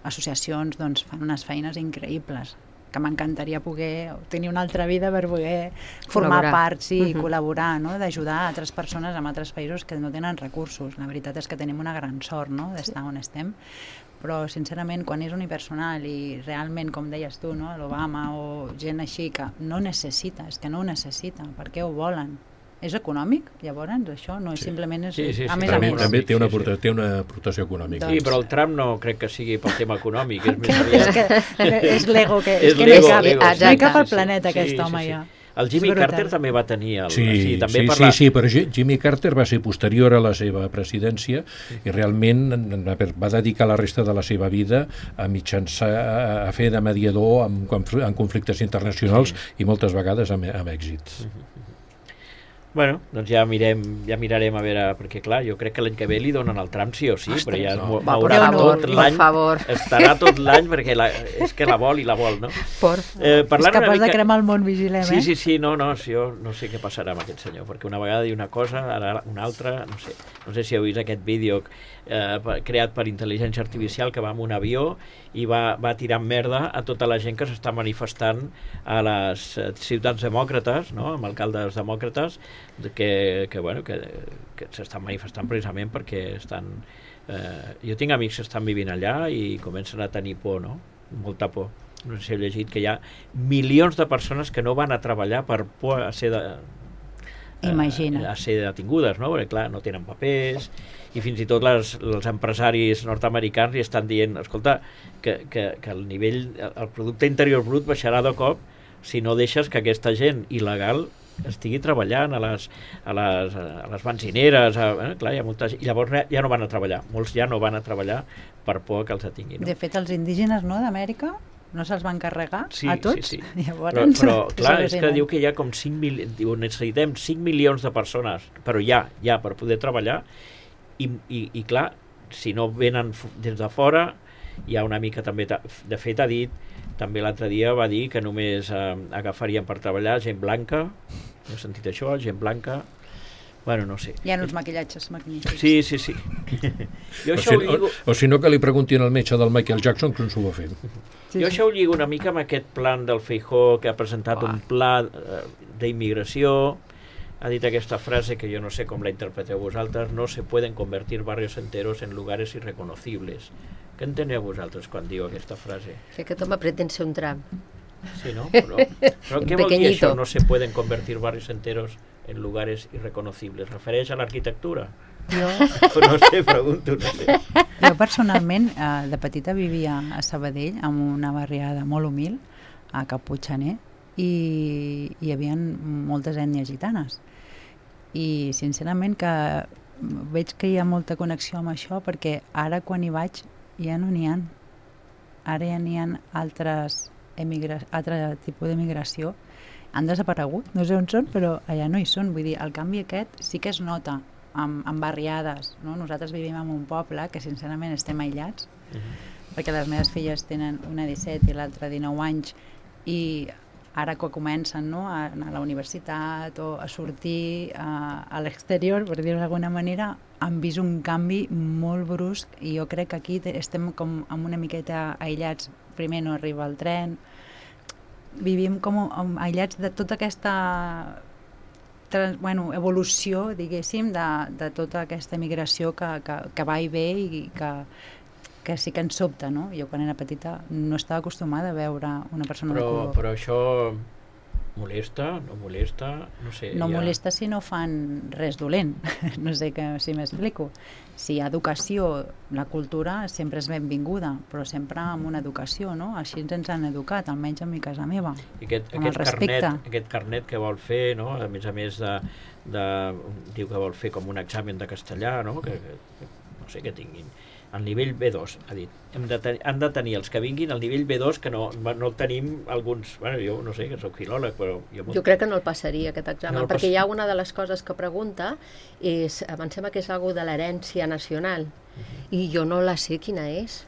associacions doncs, fan unes feines increïbles, que m'encantaria poder tenir una altra vida per poder formar Col·laborar. part, sí, Mhm. col·laborar, no? D'ajudar a altres persones en altres països que no tenen recursos. La veritat és que tenim una gran sort, no?, d'estar on estem, però sincerament quan és unipersonal i realment, com deies tu, no?, l'Obama o gent així que no necessita, és que no ho necessita, per què ho volen? És econòmic, llavors, això? No, sí. Simplement és... Sí, sí, sí. A més També, a més. també té una, Sí, sí. aporta- té una aportació econòmica. Sí, però el tram no crec que sigui pel tema econòmic, és més és aviat... que és l'ego que, És és que l'ego, no hi cap, l'ego, no hi cap exacte. al planeta Sí, aquest sí, home sí. ja. El Jimmy És brutal. Carter també va tenir... El, Sí, sí, també sí, per sí, la... sí, però Gi- Jimmy Carter va ser posterior a la seva presidència i realment va dedicar la resta de la seva vida a mitjançar, a fer de mediador en, conf- en conflictes internacionals i moltes vegades amb, amb èxit. Bueno, doncs ja mirem, ja mirarem a veure, perquè clar, jo crec que l'any que ve li donen el tram sí o sí, Ostres, però ja es no. mo- Va, per mourà favor, tot per l'any, favor. estarà tot l'any perquè la, és que la vol i la vol, no? Por... Eh, És parlant una capaç de mica- cremar el món, vigilem, Sí, eh? sí, sí, no, no, sí, jo no sé què passarà amb aquest senyor, perquè una vegada diu una cosa, ara una altra, no sé. No sé si heu vist aquest vídeo eh, creat per intel·ligència artificial que va amb un avió i va, va tirant merda a tota la gent que s'està manifestant a les eh, ciutats demòcrates, no?, amb alcaldes demòcrates, que, que, bueno, que, que s'estan manifestant precisament perquè estan... Eh, jo tinc amics que estan vivint allà i comencen a tenir por, no?, molta por. No sé si heu llegit que hi ha milions de persones que no van a treballar per por a ser de, Imagina't. a ser detingudes, no? Perquè clar, no tenen papers i fins i tot les, els empresaris nord-americans li estan dient, escolta, que, que, que el nivell, el producte interior brut baixarà de cop si no deixes que aquesta gent il·legal estigui treballant a les, a les, a les benzineres, a, eh, clar, hi ha molta gent, i llavors ja no van a treballar, molts ja no van a treballar per por que els detinguin. No? De fet, els indígenes, no, d'Amèrica, no se'ls van carregar Sí, a tots? sí, sí. Llavors, Però, però clar, és que al·lucinant. diu que hi ha com cinc mil, diu, necessitem cinc milions de persones, però ja, ja, per poder treballar, i, i, i clar, si no venen f- des de fora, hi ha una mica també, ta- de fet ha dit, també l'altre dia va dir que només eh, agafarien per treballar gent blanca, heu sentit això, gent blanca, bueno, no sé. Hi ha uns maquillatges magnífics. Sí, sí, sí. Jo O això si, ho lligo... o, o si no que li preguntin al metge del Michael Jackson com s'ho va fer. Sí, Jo sí. això ho lligo una mica amb aquest plan del Feijóo, que ha presentat Uah. un pla eh, d'immigració, ha dit aquesta frase que jo no sé com la interpreteu vosaltres, no se pueden convertir barrios enteros en lugares irreconocibles. Què enteneu vosaltres quan diu aquesta frase? Que aquest home pretén ser un tram. Sí, ¿no? Pero, però què vol dir Pequeñito. això? No se pueden convertir barrios enteros en lugares irreconocibles. Refereix a l'arquitectura? Jo, No sé, pregunto, no sé. jo personalment, eh, de petita vivia a Sabadell, en una barriada molt humil, a Caputxaner, i hi havia moltes ètnies gitanes. I sincerament que veig que hi ha molta connexió amb això, perquè ara quan hi vaig ja no n'hi ha. Ara ja n'hi ha altres emigra... altre tipus d'emigració. Han desaparegut, no sé on són, però allà no hi són. Vull dir, el canvi aquest sí que es nota amb, amb barriades. No? Nosaltres vivim en un poble que sincerament estem aïllats, Uh-huh. perquè les meves filles tenen una disset i l'altra dinou anys, i ara que comencen, no, a anar a la universitat o a sortir a, a l'exterior, per dir-ho d'alguna manera, han vist un canvi molt brusc, i jo crec que aquí te- estem com amb una miqueta aïllats. Primer no arriba el tren, vivim com um, aïllats de tota aquesta trans, bueno, evolució, diguéssim, de, de tota aquesta migració que, que, que va i ve, i que, que sí que ens sobta, no? Jo quan era petita no estava acostumada a veure una persona de Però, color. però això molesta, no molesta, no sé. No ja... molesta si no fan res dolent. No sé que, si m'explico. Si hi ha educació, la cultura sempre és benvinguda, però sempre amb una educació, no? Així ens han educat, almenys a mi casa meva. I aquest, amb el aquest, carnet, respecte. aquest carnet que vol fer, no? A més a més de, de, diu que vol fer com un examen de castellà, no? Que, que, no sé, que tinguin el nivell B dos, ha dit. Hem de ten, han de tenir els que vinguin al nivell B dos, que no, no el tenim alguns, bueno, jo no sé, que soc filòleg, però... Jo, Jo crec que no el passaria, aquest examen, No el perquè pas- hi ha una de les coses que pregunta, és, em sembla que és algo de l'herència nacional, i jo no la sé quina és.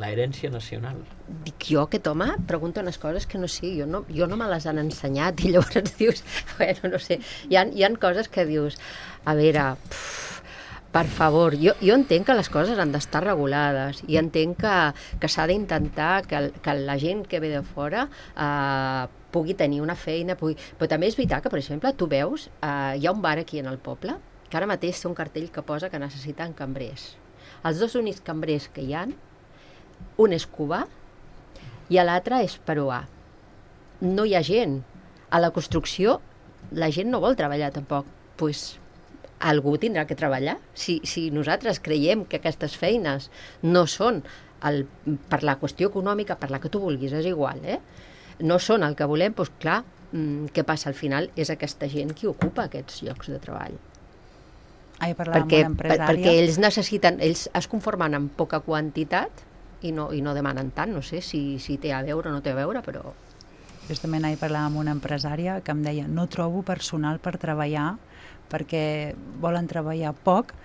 La herència nacional. Dic jo, aquest home pregunta unes coses que no sé, jo no, jo no me les han ensenyat, i llavors dius, bueno, no sé, hi ha, hi ha coses que dius, a veure, pff, per favor, jo, jo entenc que les coses han d'estar regulades, i entenc que, que s'ha d'intentar que, el- que la gent que ve de fora eh, pugui tenir una feina, pugui... però també és veritat que, per exemple, tu veus, eh, hi ha un bar aquí en el poble, que ara mateix té un cartell que posa que necessiten cambrers. Els dos únics cambrers que hi han, un és cubà i l'altre és peruà. No hi ha gent. A la construcció la gent no vol treballar tampoc. Doncs pues, algú tindrà que treballar. Si, si nosaltres creiem que aquestes feines no són el, per la qüestió econòmica, per la que tu vulguis, és igual, eh? No són el que volem, doncs clar, mm, què passa? Al final és aquesta gent qui ocupa aquests llocs de treball. Ah, jo parlava Perquè, amb una per, empresària. perquè ells necessiten, ells es conformen amb poca quantitat i no, i no demanen tant, no sé si, si té a veure o no té a veure, però... Justament ahir parlava amb una empresària que em deia no trobo personal per treballar perquè volen treballar poc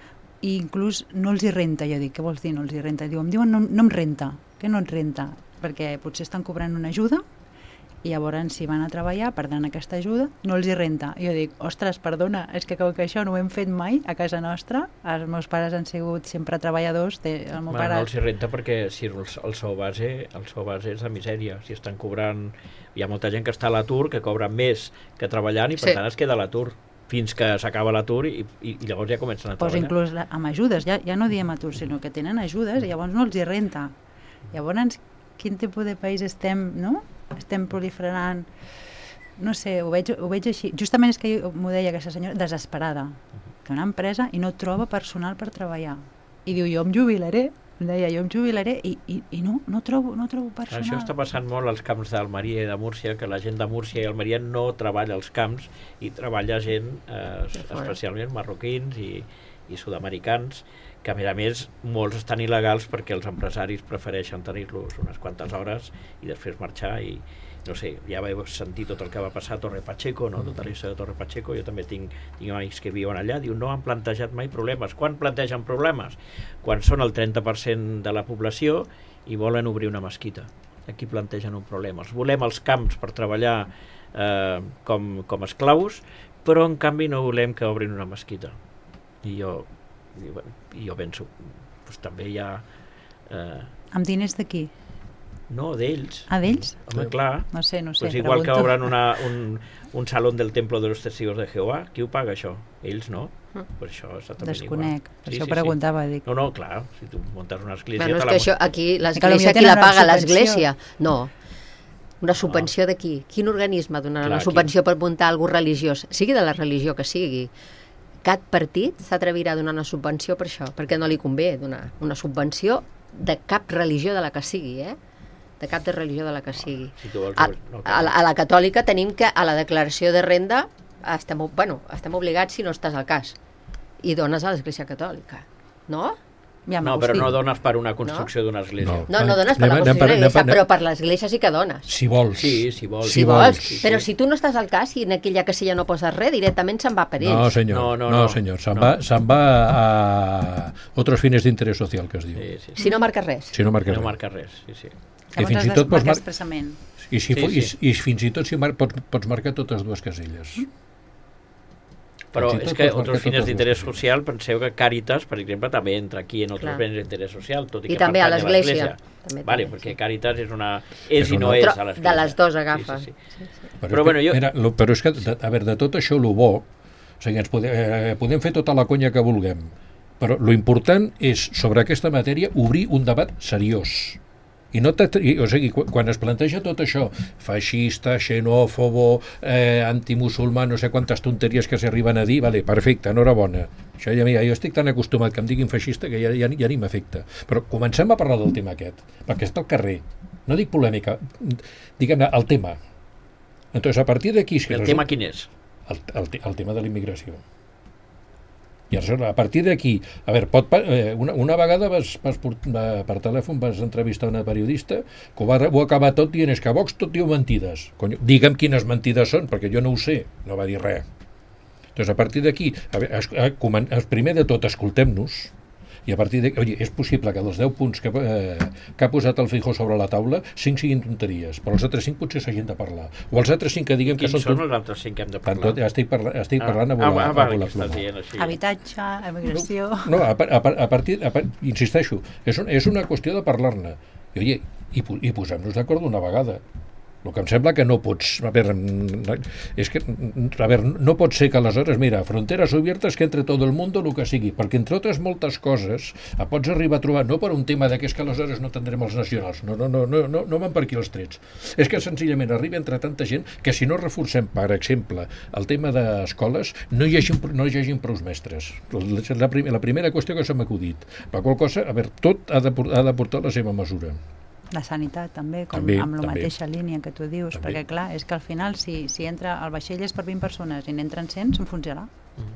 i inclús no els hi renta. Jo dic, què vols dir no els hi renta? Diu, em diuen no, no em renta. Què no et renta? Perquè potser estan cobrant una ajuda i llavors si van a treballar perdran aquesta ajuda, no els hi renta. I jo dic, ostres, perdona, és que com que això no ho hem fet mai a casa nostra, els meus pares han sigut sempre treballadors, té, el meu Bueno, pare... no els hi renta perquè si el, el sou base el sou base és de misèria. Si estan cobrant... Hi ha molta gent que està a l'atur que cobra més que treballant i per Sí. tant es queda a l'atur fins que s'acaba l'atur i, i, i llavors ja comencen a Pues treballar. inclús la- amb ajudes, ja, ja no diem atur, sinó que tenen ajudes i llavors no els hi renta. Llavors, quin tipus de país estem, no? Estem proliferant, no sé, ho veig, ho veig així. Justament és que jo- m'ho deia aquesta senyora, desesperada, que una empresa i no troba personal per treballar. I diu, jo em jubilaré, em deia, jo em jubilaré i, i, i no, no trobo, no trobo personal. Això està passant molt als camps d'Almeria i de Múrcia, que la gent de Múrcia i Almeria no treballa als camps i treballa gent, eh, fora. especialment marroquins i, i sud-americans, que a més a més molts estan il·legals perquè els empresaris prefereixen tenir-los unes quantes hores i després marxar i no sé, ja vau sentir tot el que va passar a Torre Pacheco, no? Tota la història de Torre Pacheco, jo també tinc, tinc amics que viuen allà, diu, no han plantejat mai problemes. Quan plantegen problemes? Quan són el trenta per cent de la població i volen obrir una mesquita. Aquí plantegen un problema. Els volem als camps per treballar eh, com, com esclaus, però en canvi no volem que obrin una mesquita. I jo, i, bueno, i jo penso, doncs també hi ha... Eh, Amb diners de qui? no, d'ells. Ah, d'ells? Home, clar. No sé, no sé, Pues igual pregunto. que obren una, un, un salón del Templo de los Testigos de Jehová, qui ho paga això? Ells no. Mm. Per això és exactament Desconec, igual. per això preguntava, dic. No, no, clar, si tu muntes una esglesia... Bueno, és te que la això, aquí Que l'església, potser qui la tenen una paga? subvenció. L'església? No. Una subvenció de qui? Quin organisme donarà una subvenció per muntar alguna religiós? Sigui de la religió que sigui. Cap partit s'atrevirà a donar una subvenció per això, perquè no li convé donar una subvenció de cap religió de la que sigui, eh? De cap de religió de la que sigui. A, a, la, a la catòlica tenim que a la declaració de renda estem, bueno, estem obligats si no estàs al cas i dones a l'Església Catòlica, no? Ja no, però no dones per una construcció no? d'una església. No, no, no dones per anem, la construcció d'una església, però per l'església sí que dones. Si vols. Sí, si vols. Si, si vols. Sí, sí. Però si tu no estàs al cas i en aquella casella no poses res, directament se'n va per ells. No, senyor, no, no, no, no senyor. Se'n no. va, se'n va a otros fines d'interès social, que es diu. Sí, sí, sí. Si no marques res. Si no marques no res. marca res, sí, sí. Que fins i tot pots marcar expressament. I, si sí, sí. I, I fins i tot si mar, pots, pots marcar totes dues caselles. Mm. Però és que otros fines d'interès social, penseu que Càritas, per exemple, també entra aquí en otros fines d'interès social, tot i, I que també a l'Església. Vale, perquè Càritas és una... és i no és a l'Església. De les dues agafa. Sí, sí, sí. Sí, sí. Però, però, bueno, jo... Mira, lo, però és que, a veure, de tot això, el bo, o sigui, ens podem, eh, podem fer tota la conya que vulguem, però lo important és, sobre aquesta matèria, obrir un debat seriós. I no i, o sigui, quan es planteja tot això, feixista, xenòfobo, eh, antimusulmà, no sé quantes tonteries que s'arriben a dir, vale, perfecte, enhorabona. Això ja, jo estic tan acostumat que em diguin feixista que ja, ja, ja ni m'afecta. Però comencem a parlar del tema aquest, perquè està al carrer. No dic polèmica, diguem-ne, el tema. Entonces, a partir d'aquí... El tema quin és? El, el, el tema de la immigració. I a partir d'aquí, a veure, pot, eh, una, una vegada vas, vas per, per telèfon vas entrevistar una periodista que ho va, ho acaba tot dient és que a Vox tot diu mentides. Conyo, digue'm quines mentides són, perquè jo no ho sé, no va dir res. Doncs a partir d'aquí, primer de tot, escoltem-nos, i a partir de... Oye, és possible que dels deu punts que, eh, que ha posat el Feijóo sobre la taula, cinc siguin tonteries, però els altres cinc potser s'hagin de parlar. O els altres cinc que diguem que són... Quins són els altres cinc que hem de parlar? Tot, estic, parla, estic ah, parlant a volar, ah, va, a volar ploma. Habitatge, emigració... No, no a, a, a partir... A, insisteixo, és, un, és una qüestió de parlar-ne. I, oye, i, i posem-nos d'acord d'una vegada. El que em sembla que no pots... A veure, és que, a veure, no pot ser que aleshores, mira, fronteres obertes que entre tot el món el que sigui, perquè entre altres moltes coses pots arribar a trobar, no per un tema de que és que aleshores no tindrem els nacionals, no, no, no, no, no, no van per aquí els trets. És que senzillament arriba entre tanta gent que si no reforcem, per exemple, el tema d'escoles, no hi hagi, no hi hagi prou mestres. La, prim, la primera qüestió que s'ha acudit. Per qual cosa, a veure, tot ha de, ha de portar la seva mesura. La sanitat també, com també, amb la també. mateixa línia que tu dius, també. Perquè clar, és que al final si, si entra el vaixell és per vint persones i n'entren cent, s'enfonsarà.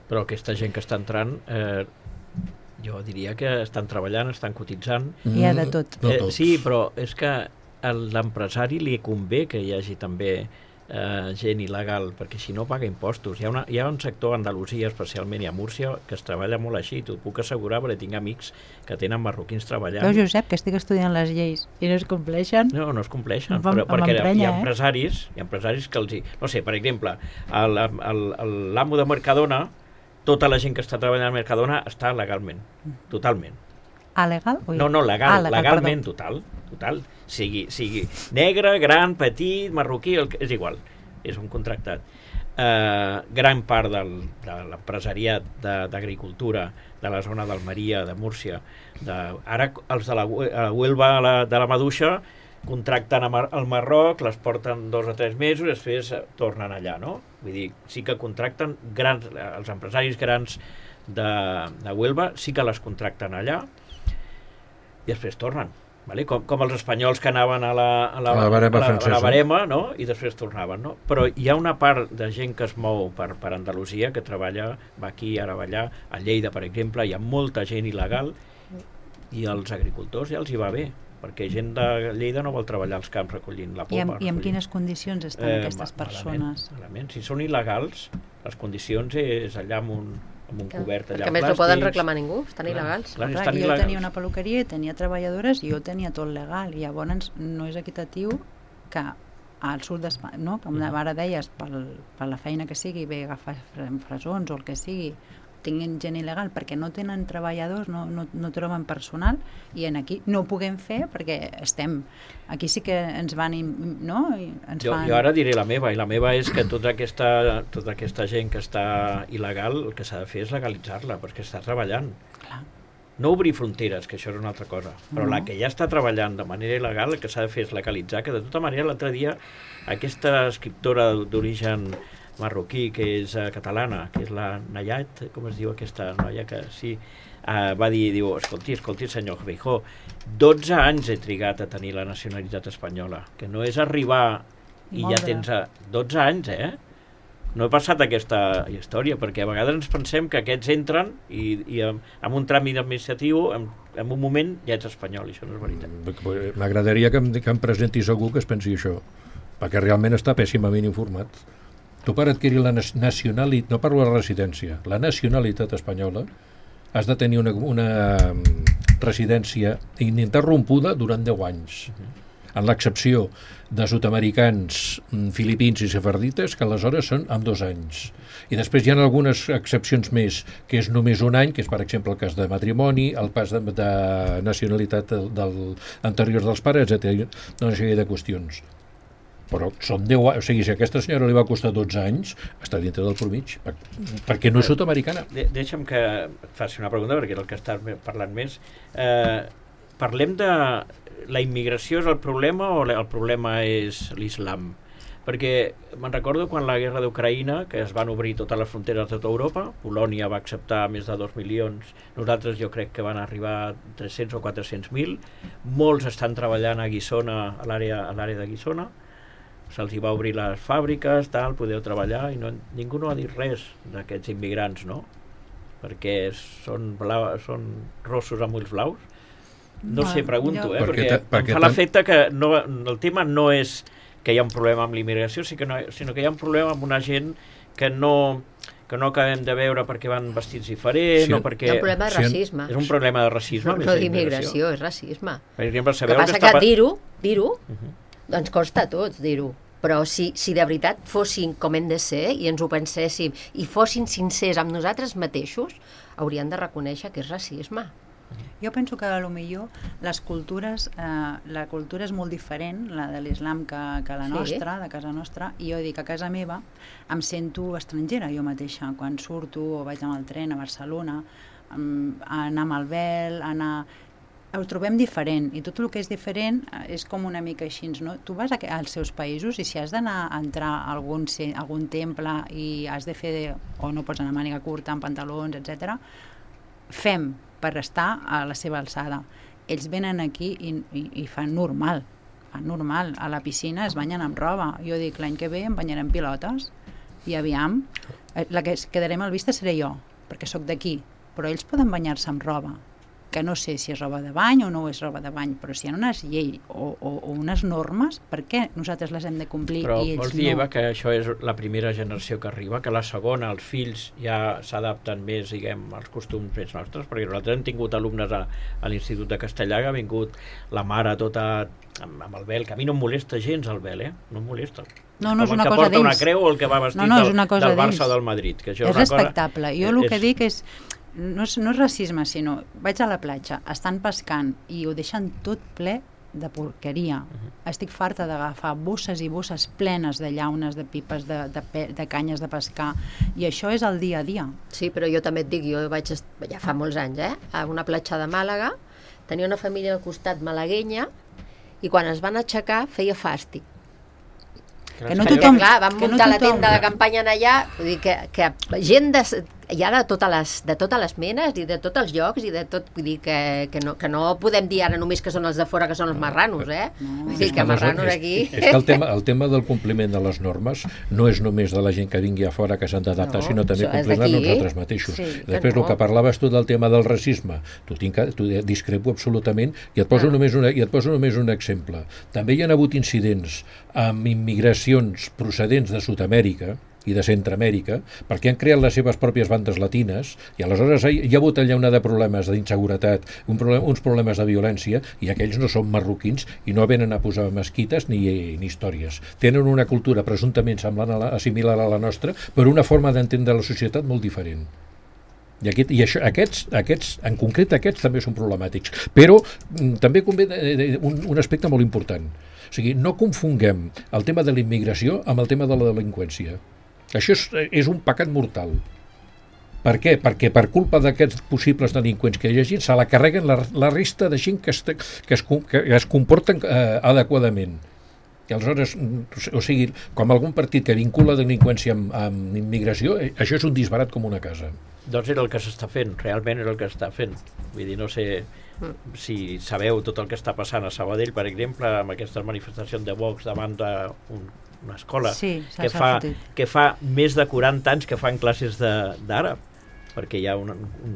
Però aquesta gent que està entrant, eh, jo diria que estan treballant, estan cotitzant. Mm, hi ha de tot. Eh, sí, però és que a l'empresari li convé que hi hagi també eh, gent il·legal, perquè si no paga impostos. Hi ha, una, hi ha un sector a Andalusia, especialment, i a Múrcia, que es treballa molt així, t'ho puc assegurar, perquè tinc amics que tenen marroquins treballant. Veus, Josep, que estic estudiant les lleis i no es compleixen? No, no es compleixen, però, perquè hi ha empresaris, hi ha empresaris que els hi... No sé, per exemple, l'amo de Mercadona, tota la gent que està treballant a Mercadona està legalment, totalment. Ah, legal? Ui. No, no, legal, ah, legal legalment, perdó. total, total. Sigui, sigui negre, gran, petit, marroquí, el, és igual, és un contractat. Eh, gran part del, de l'empresariat d'agricultura de la zona d'Almeria, de Múrcia, de, ara els de la, la Huelva la, de la Maduixa contracten al Marroc, les porten dos o tres mesos i després tornen allà, no? Vull dir, sí que contracten grans, els empresaris grans de, de Huelva sí que les contracten allà i després tornen, vale? com, com els espanyols que anaven a la, a la, a la barema, a la, a la barema, no? I després tornaven, no? Però hi ha una part de gent que es mou per, per Andalusia, que treballa, va aquí, ara va allà, a Lleida, per exemple, hi ha molta gent il·legal i els agricultors ja els hi va bé, perquè gent de Lleida no vol treballar als camps recollint la poma. I en, i en quines condicions estan eh, aquestes persones? Malament, malament. Si són il·legals, les condicions és allà amb un amb un cobert allà perquè més no poden reclamar ningú, estan clar, il·legals. Clar, clar, jo tenia una peluqueria i tenia treballadores i jo tenia tot legal i llavors no és equitatiu que al sud d'Espanya, no? Com ara deies, pel, per la feina que sigui, ve agafar fresons o el que sigui, tinguin gent il·legal perquè no tenen treballadors, no, no, no troben personal i en aquí no ho puguem fer perquè estem... Aquí sí que ens van... No? I ens jo, fan... jo ara diré la meva, i la meva és que tota aquesta, tota aquesta gent que està il·legal, el que s'ha de fer és legalitzar-la, perquè està treballant. Clar. no obrir fronteres, que això és una altra cosa, però No. la que ja està treballant de manera il·legal, el que s'ha de fer és legalitzar, que de tota manera l'altre dia aquesta escriptora d'origen marroquí, que és uh, catalana, que és la Nayat, com es diu aquesta noia, que sí, uh, va dir, diu, escolti, escolti, senyor Feijó, dotze anys he trigat a tenir la nacionalitat espanyola, que no és arribar i Molt ja bé. tens uh, dotze anys, eh? No he passat aquesta història, perquè a vegades ens pensem que aquests entren i, i amb, amb un tràmit administratiu, en, en un moment ja ets espanyol, i això no és veritat. M'agradaria que em, que em presentis algú que es pensi això, perquè realment està pèssimament informat. Tu per adquirir la nacionalitat, no parlo de la residència, la nacionalitat espanyola, has de tenir una, una residència ininterrompuda durant deu anys. En l'excepció de sud-americans, filipins i sefardites, que aleshores són amb dos anys. I després hi ha algunes excepcions més, que és només un any, que és per exemple el cas de matrimoni, el pas de, de nacionalitat del, del anterior dels pares, etcètera. Una sèrie de qüestions. Però són deu anys, o sigui, si a aquesta senyora li va costar dotze anys, està dintre del promig, per, perquè no és sud-americana. De, deixa'm que et faci una pregunta, perquè és el que estàs parlant més. Eh, parlem de... La immigració és el problema o el problema és l'islam? Perquè me'n recordo quan la guerra d'Ucraïna, que es van obrir totes les fronteres de tota Europa, Polònia va acceptar més de dos milions, nosaltres jo crec que van arribar a tres-cents o quatre-cents mil, molts estan treballant a Guissona, a l'àrea a l'àrea de Guissona, se'ls hi va obrir les fàbriques, tal, podeu treballar, i no, ningú no ha dit res d'aquests immigrants, no? Perquè són, blau, són rossos amb ulls blaus. No, no sé, pregunto, jo... eh? Perquè, perquè, perquè em fa l'efecte que no, el tema no és que hi ha un problema amb l'immigració, sinó, sinó que hi ha un problema amb una gent que no, que no acabem de veure perquè van vestits diferents, sí, o perquè... Hi ha un problema de racisme. És un problema de racisme. No, no d'immigració, és racisme. Per exemple, el que passa que, que dir-ho, dir-ho, uh -huh. doncs costa a tots dir-ho. Però si, si de veritat fossin com hem de ser i ens ho penséssim i fossin sincers amb nosaltres mateixos, haurien de reconèixer que és racisme. Jo penso que potser les cultures, eh, la cultura és molt diferent, la de l'islam, que, que la nostra, sí. de casa nostra, i jo dic, a casa meva em sento estrangera jo mateixa, quan surto o vaig amb el tren a Barcelona, a anar amb el vel, a anar... Ho trobem diferent, i tot el que és diferent és com una mica així, no? Tu vas als seus països i si has d'anar a entrar a algun, a algun temple i has de fer, de, o no pots anar a màniga curta, amb pantalons, etcètera, fem per estar a la seva alçada. Ells venen aquí i, i, i fan normal, fan normal. A la piscina es banyen amb roba. Jo dic, l'any que ve em banyarem pilotes i aviam, la que quedarem al vista seré jo, perquè sóc d'aquí, però ells poden banyar-se amb roba, que no sé si és roba de bany o no és roba de bany, però si hi ha unes lleis o, o, o unes normes, per què nosaltres les hem de complir però i ells vols dir, no? Eva, que això és la primera generació que arriba, que la segona, els fills ja s'adapten més, diguem, als costums més nostres, perquè nosaltres hem tingut alumnes a, a l'Institut de Castellà, que ha vingut la mare tota amb, amb el vel, que a mi no em molesta gens el vel, eh? No em molesta. No, no és com una el que cosa porta dins. una creu o el que va vestit no, no, del, del Barça dins. o del Madrid. Que això és, és una respectable. Cosa, jo el és, que dic és, no és, no és racisme, sinó vaig a la platja, estan pescant i ho deixen tot ple de porqueria. Uh-huh. Estic farta d'agafar bosses i bosses plenes de llaunes, de pipes, de, de, de canyes de pescar, i això és el dia a dia. Sí, però jo també et dic, jo vaig, ja fa molts anys, eh, a una platja de Màlaga, tenia una família al costat malaguenya, i quan es van aixecar feia fàstic. Que no tothom, clar, van que muntar no la tenda de campanya allà, vull dir que, que gent de, hi ha de totes, les, de totes les menes i de tots els llocs i de tot, vull dir que, que, no, que no podem dir ara només que són els de fora que són els marranos, eh? No. Vull dir que marranos aquí... És, és que el tema, el tema del compliment de les normes no és només de la gent que vingui a fora que s'han d'adaptar, no, sinó també complir-les nosaltres mateixos. Sí, després no. el que parlaves tu del tema del racisme, tu, tinc, tu discrepo absolutament i et poso, ah. només una, i et poso només un exemple. També hi ha hagut incidents amb immigracions procedents de Sud-amèrica i de Centroamèrica, perquè han creat les seves pròpies bandes latines, i aleshores hi ha hagut allà una de problemes d'inseguretat, un problem, uns problemes de violència, i aquells no són marroquins i no venen a posar mesquites ni, ni històries. Tenen una cultura presumptament semblant a la, similar a la nostra, però una forma d'entendre la societat molt diferent. I, aquest, i això, aquests, aquests, en concret aquests també són problemàtics, però m, també convé de, de, un, un aspecte molt important. O sigui, no confonguem el tema de la immigració amb el tema de la delinqüència. Això és, és un pecat mortal. Per què? Perquè per culpa d'aquests possibles delinqüents que hi hagi, se la carreguen la, la resta de gent que es, que es, que es comporten eh, adequadament. I aleshores, o sigui, com algun partit que vincula delinqüència amb, amb immigració, eh, això és un disbarat com una casa. Doncs era el que s'està fent, realment era el que s'està fent. Vull dir, no sé si sabeu tot el que està passant a Sabadell, per exemple, amb aquestes manifestacions de Vox davant d'un una escola sí, que, fa, que fa més de quaranta anys que fan classes d'àrab, perquè hi ha un, un...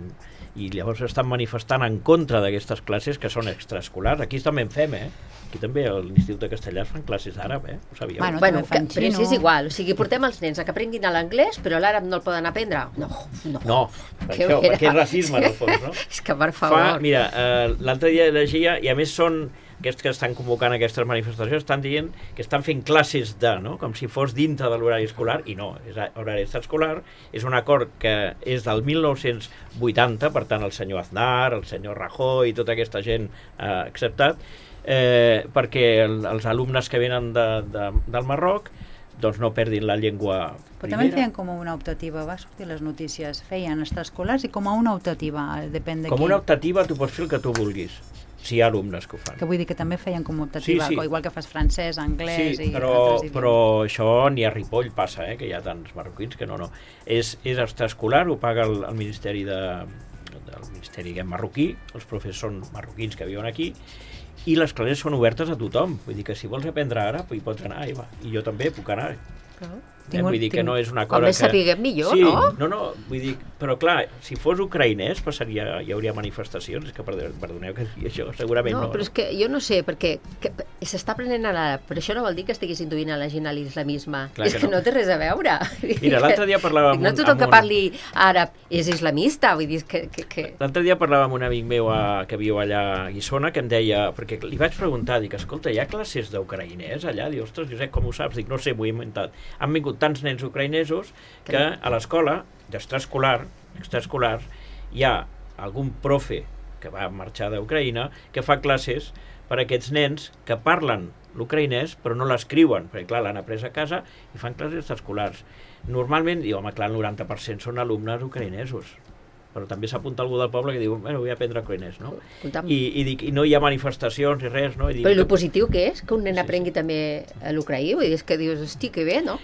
i llavors estan manifestant en contra d'aquestes classes que són extraescolars. Aquí també en fem, eh? Aquí també a l'Institut de Castellà fan classes d'àrab, eh? Ho sabíeu? Bueno, bueno que, però si és igual, o sigui, portem els nens a que aprenguin l'anglès, però l'àrab no el poden aprendre. No, no. No, per això, perquè és racisme, en el fons, no? És que, per favor... Fa, mira, eh, l'altre dia llegia, i a més són aquests que estan convocant aquestes manifestacions, estan dient que estan fent classes de, no? Com si fos dintre de l'horari escolar, i no, és horari extraescolar, és un acord que és del mil nou-cents vuitanta, per tant el senyor Aznar, el senyor Rajoy i tota aquesta gent ha eh, acceptat, eh, perquè el, els alumnes que venen de, de, del Marroc doncs no perdin la llengua primera. Però també feien com a una optativa, va sortir les notícies, feien extraescolars i com a una optativa, depèn de com qui. una optativa tu pots fer el que tu vulguis, si hi ha alumnes que ho fan. Que vull dir que també feien com a optativa, sí, sí. igual que fas francès, anglès sí, i però, altres idiomes. però això ni a Ripoll passa, eh, que hi ha tants marroquins que no, no. És, és extraescolar, ho paga el, el Ministeri de, del Ministeri diguem, marroquí, els professors són marroquins que viuen aquí, i les classes són obertes a tothom. Vull dir que si vols aprendre àrab hi pots anar, i, va. I jo també puc anar. Ah. Eh, vull dir que no és una cosa com més que... sapiguem millor, sí, no? No, no, vull dir, però clar, si fos ucraïnès passaria, hi hauria manifestacions, és que perdoneu que digui això, segurament no. No, però és que jo no sé, perquè s'està aprenent a l'àrab, però això no vol dir que estiguis induint a la gent a l'islamisme. És que, que no. no té res a veure. Mira, l'altre dia parlava amb un... No tothom que parli àrab és islamista, vull dir que... que, que... L'altre dia parlava amb un amic meu a, que viu allà a Guissona, que em deia, perquè li vaig preguntar, dic, escolta, hi ha classes d'ucraïnès allà? Diu, ostres, Josep, com ho saps? Dic, no sé, m'ho he inventat. Han vingut tants nens ucraïnesos que a l'escola d'extraescolar, extraescolars, hi ha algun profe que va marxar d'Ucraïna que fa classes per a aquests nens que parlen l'ucraïnès però no l'escriuen, perquè clar, l'han après a casa i fan classes extraescolars. Normalment, diu, home, clar, el noranta per cent són alumnes ucraïnesos, però també s'apunta algú del poble que diu, bueno, vull aprendre ucraïnès, no? I, i, dic, i no hi ha manifestacions ni res, no? I dic, però el positiu que és? Que un nen sí, aprengui sí. també l'ucraí? Vull dir, és que dius, hosti, que bé, no?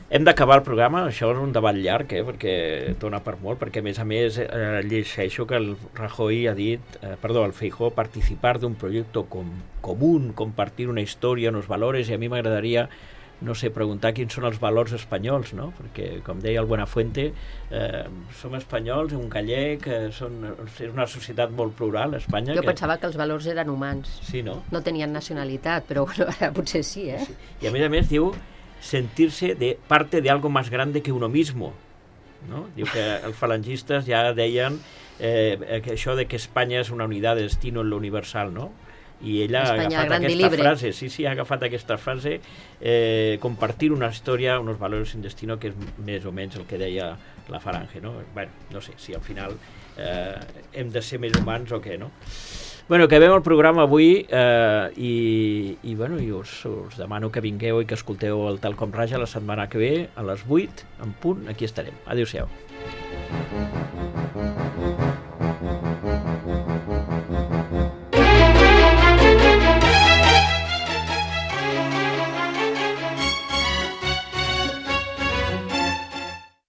Hem d'acabar el programa, això és un debat llarg, eh, perquè dona per molt, perquè a més a més eh, llegeixo que el Rajoy ha dit, eh, perdó, el Feijóo, participar d'un projecte com, común, compartir una història, uns valors, i a mi m'agradaria, no sé, preguntar quins són els valors espanyols, no? Perquè, com deia el Buenafuente, eh, som espanyols, un gallec, eh, són, és una societat molt plural, Espanya. Jo que... pensava que els valors eren humans. Sí, no? No tenien nacionalitat, però bueno, ara potser sí, eh? Sí. I a més a més diu sentirse de parte de algo más grande que uno mismo, ¿no? Diu que els falangistes ja deien eh, que això de que Espanya és una unitat de destino en lo universal, no? I ella Espanya, ha agafat aquesta frase, sí, sí, ha agafat aquesta frase, eh, compartir una història, unos valores sin destino, que és més o menys el que deia la Falange, no? Bueno, no sé, si al final eh, hem de ser més humans o què, no? Bueno, acabem el programa avui eh, i, i, bueno, i us, us demano que vingueu i que escolteu el Tal Com Raja la setmana que ve a les vuit, en punt, aquí estarem. Adéu-siau.